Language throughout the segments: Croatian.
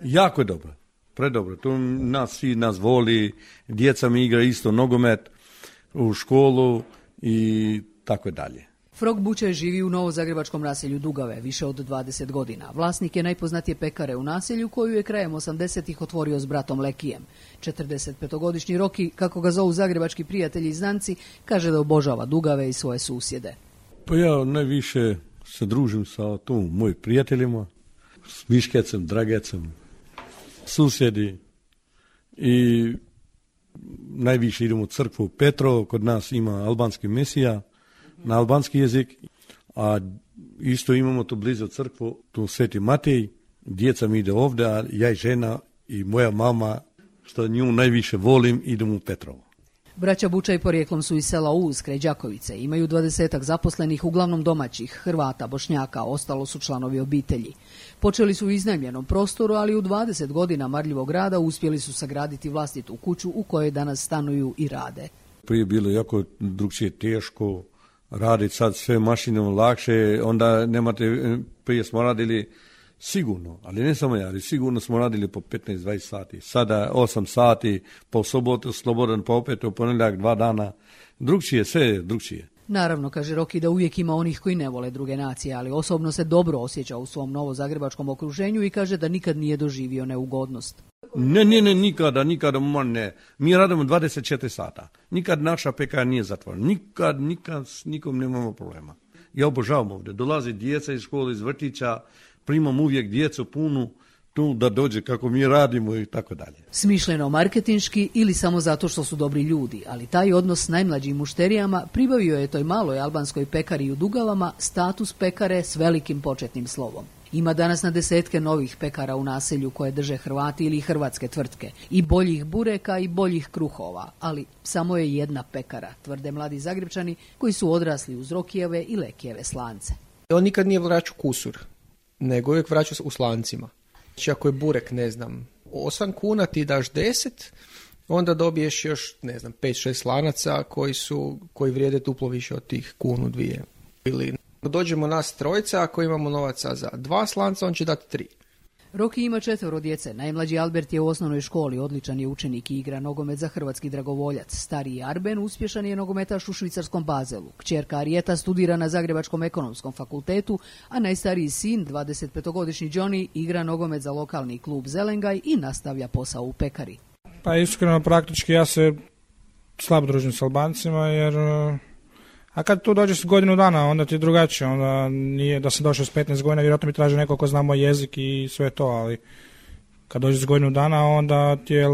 Jako je dobro, predobro. Tu svi nas voli, djeca mi igra isto nogomet u školu i tako dalje. Frog Bučaj živi u novozagrebačkom naselju Dugave više od 20 godina. Vlasnik je najpoznatije pekare u naselju koju je krajem 80-ih otvorio s bratom Lekijem. 45-godišnji Roki, kako ga zovu zagrebački prijatelji i znanci, kaže da obožava Dugave i svoje susjede. Pa ja najviše se družim sa mojim prijateljima, s Miškecem, Dragecem, susjedi i najviše idemo u crkvu Petrovo, kod nas ima albanski mesija na albanski jezik, a isto imamo tu blizu crkvu, tu Sveti Matej, djeca mi ide ovdje, a ja i žena i moja mama, što nju najviše volim, idemo u Petrovo. Braća Bučaj porijeklom su iz sela Uz kraj Đakovice, imaju 20-ak zaposlenih, uglavnom domaćih, Hrvata, Bošnjaka, ostalo su članovi obitelji. Počeli su u iznajmljenom prostoru, ali u 20 godina marljivog rada uspjeli su sagraditi vlastitu kuću u kojoj danas stanuju i rade. Prije bilo jako drugčije teško raditi, sad sve mašinom lakše, onda nemate, prije smo radili sigurno, ali ne samo ja, ali sigurno smo radili po 15-20 sati. Sada 8 sati, po sobotu slobodan, pa opet u ponedjeljak 2 dana. Drugčije, sve je drugčije. Naravno, kaže Roki, da uvijek ima onih koji ne vole druge nacije, ali osobno se dobro osjeća u svom novozagrebačkom okruženju i kaže da nikad nije doživio neugodnost. Ne, nikada, ne. Mi radimo 24 sata. Nikad naša pekara nije zatvorena. Nikad s nikom nemamo problema. Ja obožavam ovdje. Dolazi djeca iz škole, iz vrtića, primam uvijek djecu punu tu da dođe kako mi radimo i tako dalje. Smišljeno marketinški ili samo zato što su dobri ljudi, ali taj odnos s najmlađim mušterijama pribavio je toj maloj albanskoj pekari u Dugavama status pekare s velikim početnim slovom. Ima danas na desetke novih pekara u naselju koje drže Hrvati ili hrvatske tvrtke. I boljih bureka i boljih kruhova, ali samo je jedna pekara, tvrde mladi Zagrebčani koji su odrasli uz Rokijeve i Lekijeve slance. On nikad nije vraćao kusur, nego uvijek vraćao u slancima. Znači ako je burek, 8 kuna ti daš 10, onda dobiješ još, 5-6 slanaca koji vrijede duplo više od tih 1-2. Ili dođemo nas trojica, ako imamo novaca za 2 slanca, on će dati 3. Roki ima 4 djece. Najmlađi Albert je u osnovnoj školi, odličan je učenik i igra nogomet za hrvatski dragovoljac. Stariji Arben uspješan je nogometaš u švicarskom Bazelu. Kćerka Arijeta studira na Zagrebačkom ekonomskom fakultetu, a najstariji sin, 25-godišnji Johnny, igra nogomet za lokalni klub Zelengaj i nastavlja posao u pekari. Pa iskreno, praktički ja se slabo družim s Albancima, jer a kad tu dođeš s godinu dana, onda ti je drugačije, onda nije da sam došao s 15 godina, vjerojatno mi traži neko ko zna moj jezik i sve to, ali kad dođeš s godinu dana, onda ti je,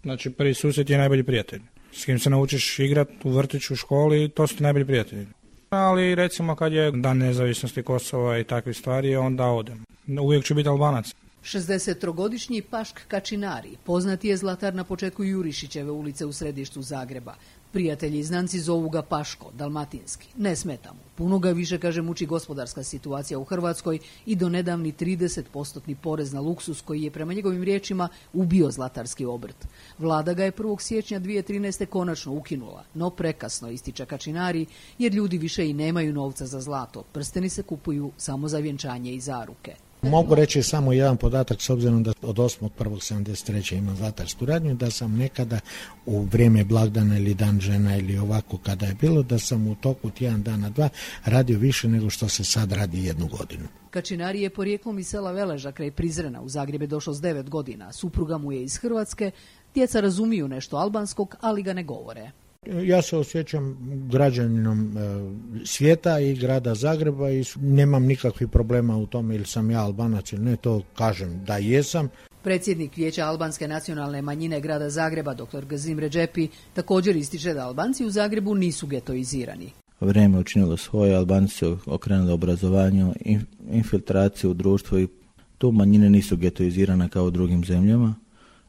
znači prvi susjed je najbolji prijatelj. S kim se naučiš igrat u vrtiću, u školi, to su ti najbolji prijatelji. Ali recimo kad je dan nezavisnosti Kosova i takve stvari, onda odem. Uvijek ću biti Albanac. 63-godišnji Pašk Kačinari, poznati je zlatar na početku Jurišićeve ulice u središtu Zagreba. Prijatelji i znanci zovu ga Paško, dalmatinski. Ne smeta mu. Puno ga više, kaže, muči gospodarska situacija u Hrvatskoj i do nedavni 30% porez na luksus koji je prema njegovim riječima ubio zlatarski obrt. Vlada ga je 1. siječnja 2013. konačno ukinula, no prekasno, ističe Kačinari, jer ljudi više i nemaju novca za zlato. Prsteni se kupuju samo za vjenčanje i zaruke. Mogu reći samo jedan podatak, s obzirom da od 8.1.1973. imam zlatarsku radnju, da sam nekada u vrijeme blagdana ili dan žena ili ovako kada je bilo, da sam u toku tjedan dana 2 radio više nego što se sad radi 1 godinu. Kačinari je porijeklom iz sela Veleža kraj Prizrena, u Zagreb je došao s 9 godina. Supruga mu je iz Hrvatske, djeca razumiju nešto albanskog, ali ga ne govore. Ja se osjećam građaninom svijeta i grada Zagreba i nemam nikakvih problema u tome ili sam ja Albanac ili ne, to kažem da jesam. Predsjednik Vijeća albanske nacionalne manjine grada Zagreba, dr. Gazim Redžepi, također ističe da Albanci u Zagrebu nisu getoizirani. Vrijeme učinilo svoje, Albanci su okrenuli obrazovanju, infiltraciju u društvo i tu manjine nisu getoizirane kao u drugim zemljama.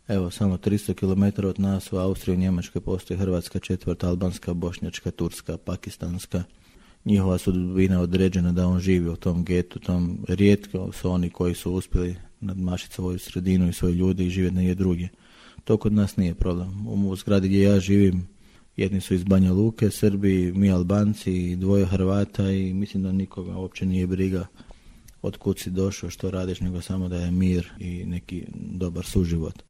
Evo, samo 300 km od nas u Austriji i Njemačkoj postoji hrvatska četvrt, albanska, bošnjačka, turska, pakistanska. Njihova sudbina određena da on živi u tom getu, tom rijetko su oni koji su uspjeli nadmašiti svoju sredinu i svoje ljude i živjeti negdje drugdje. To kod nas nije problem. U zgradi gdje ja živim, jedni su iz Banja Luke, Srbi, mi Albanci, 2 Hrvata i mislim da nikoga uopće nije briga od kud si došao, što radiš, nego samo da je mir i neki dobar suživot.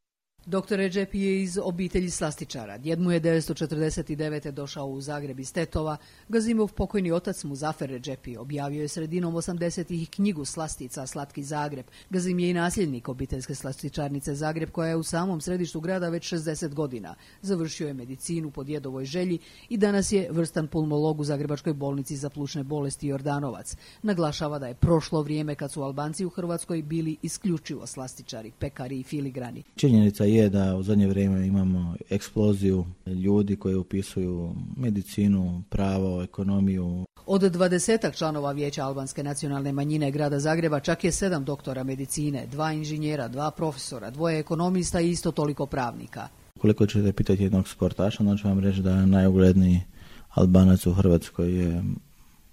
Dr. Redžepi je iz obitelji slastičara. Djed mu je 1949. došao u Zagreb iz Tetova. Gazimov pokojni otac Muzafer Redžepi objavio je sredinom 80-ih knjigu Slastica Slatki Zagreb. Gazim je i nasljednik obiteljske slastičarnice Zagreb, koja je u samom središtu grada već 60 godina. Završio je medicinu po djedovoj želji i danas je vrstan pulmolog u Zagrebačkoj bolnici za plućne bolesti Jordanovac. Naglašava da je prošlo vrijeme kad su Albanci u Hrvatskoj bili isključivo slastičari, pekari i filigrani. Činjenica je da u zadnje vrijeme imamo eksploziju ljudi koji upisuju medicinu, pravo, ekonomiju. Od 20 članova Vijeća albanske nacionalne manjine grada Zagreba čak je 7 doktora medicine, 2 inženjera, 2 profesora, 2 ekonomista i isto toliko pravnika. Koliko ćete pitati jednog sportaša, onda ću vam reći da najugledniji Albanac u Hrvatskoj je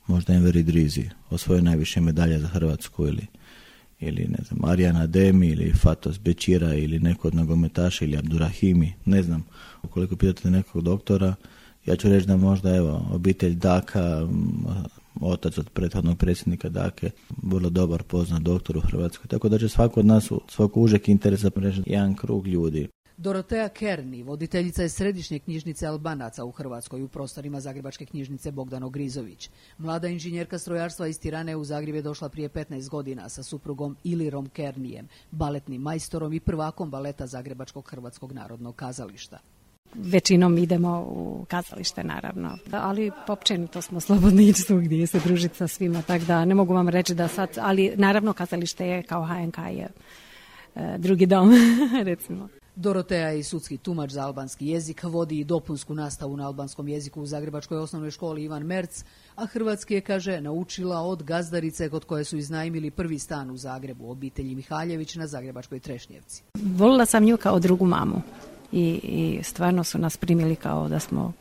možda Enver Idrizi, osvojio najviše medalje za Hrvatsku, ili ne znam, Arjana Demi ili Fatos Bećira ili neko od nogometaša ili Abdurahimi, ne znam. Ukoliko pitate nekog doktora, ja ću reći da možda obitelj Daka, otac od prethodnog predsjednika Dake, vrlo dobar poznat doktor u Hrvatskoj. Tako da će svako od nas, svako užeg interesa preći jedan krug ljudi. Dorotea Kerni, voditeljica je središnje knjižnice Albanaca u Hrvatskoj u prostorima Zagrebačke knjižnice Bogdan Ogrizović. Mlada inženjerka strojarstva iz Tirane u Zagreb je došla prije 15 godina sa suprugom Ilirom Kernijem, baletnim majstorom i prvakom baleta Zagrebačkog Hrvatskog narodnog kazališta. Većinom idemo u kazalište, naravno, ali općenito smo slobodni ići svugdje se družiti sa svima, tako da ne mogu vam reći da sad, ali naravno kazalište je kao HNK je drugi dom, recimo. Dorotea je i sudski tumač za albanski jezik, vodi i dopunsku nastavu na albanskom jeziku u Zagrebačkoj osnovnoj školi Ivan Merc, a hrvatski je, kaže, naučila od gazdarice kod koje su iznajmili prvi stan u Zagrebu, obitelji Mihaljević na Zagrebačkoj Trešnjevci. Volila sam nju kao drugu mamu i stvarno su nas primili kao da smo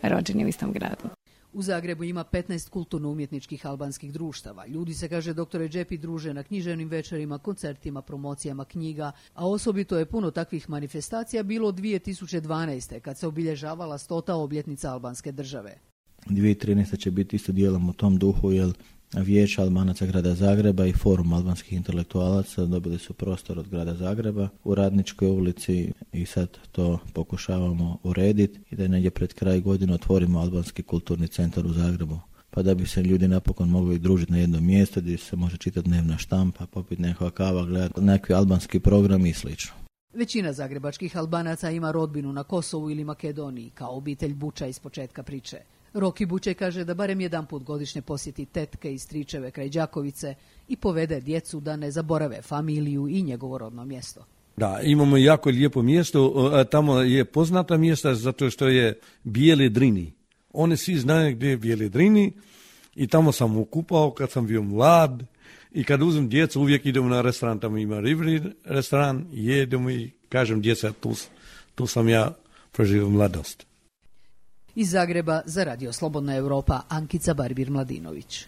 rođeni u istom gradu. U Zagrebu ima 15 kulturno-umjetničkih albanskih društava. Ljudi se, kaže dr. Redžepi, druže na književnim večerima, koncertima, promocijama knjiga, a osobito je puno takvih manifestacija bilo 2012. kad se obilježavala 100. obljetnica albanske države. 2013. će biti isto dijelom u tom duhu, jer Vijeće Albanaca grada Zagreba i Forum albanskih intelektualaca dobili su prostor od grada Zagreba u Radničkoj ulici i sad to pokušavamo urediti i da negdje pred kraj godine otvorimo albanski kulturni centar u Zagrebu. Pa da bi se ljudi napokon mogli družiti na jednom mjestu gdje se može čitati dnevna štampa, popiti nekakva kava, gledati nekakvi albanski program i slično. Većina zagrebačkih Albanaca ima rodbinu na Kosovu ili Makedoniji, kao obitelj Buča iz početka priče. Roki Buče kaže da barem jedan put godišnje posjeti tetke i stričeve kraj Đakovice i povede djecu da ne zaborave familiju i njegovo rodno mjesto. Da, imamo jako lijepo mjesto, tamo je poznata mjesta zato što je Bijele Drini. Oni svi znaju gdje je Bijele Drini i tamo sam okupao kad sam bio mlad i kad uzem djecu uvijek idemo na restoran, tamo ima ribri restoran, jedemo i kažem djeca tu sam ja proživio mladost. Iz Zagreba za Radio Slobodna Europa, Ankica Barbir Mladinović.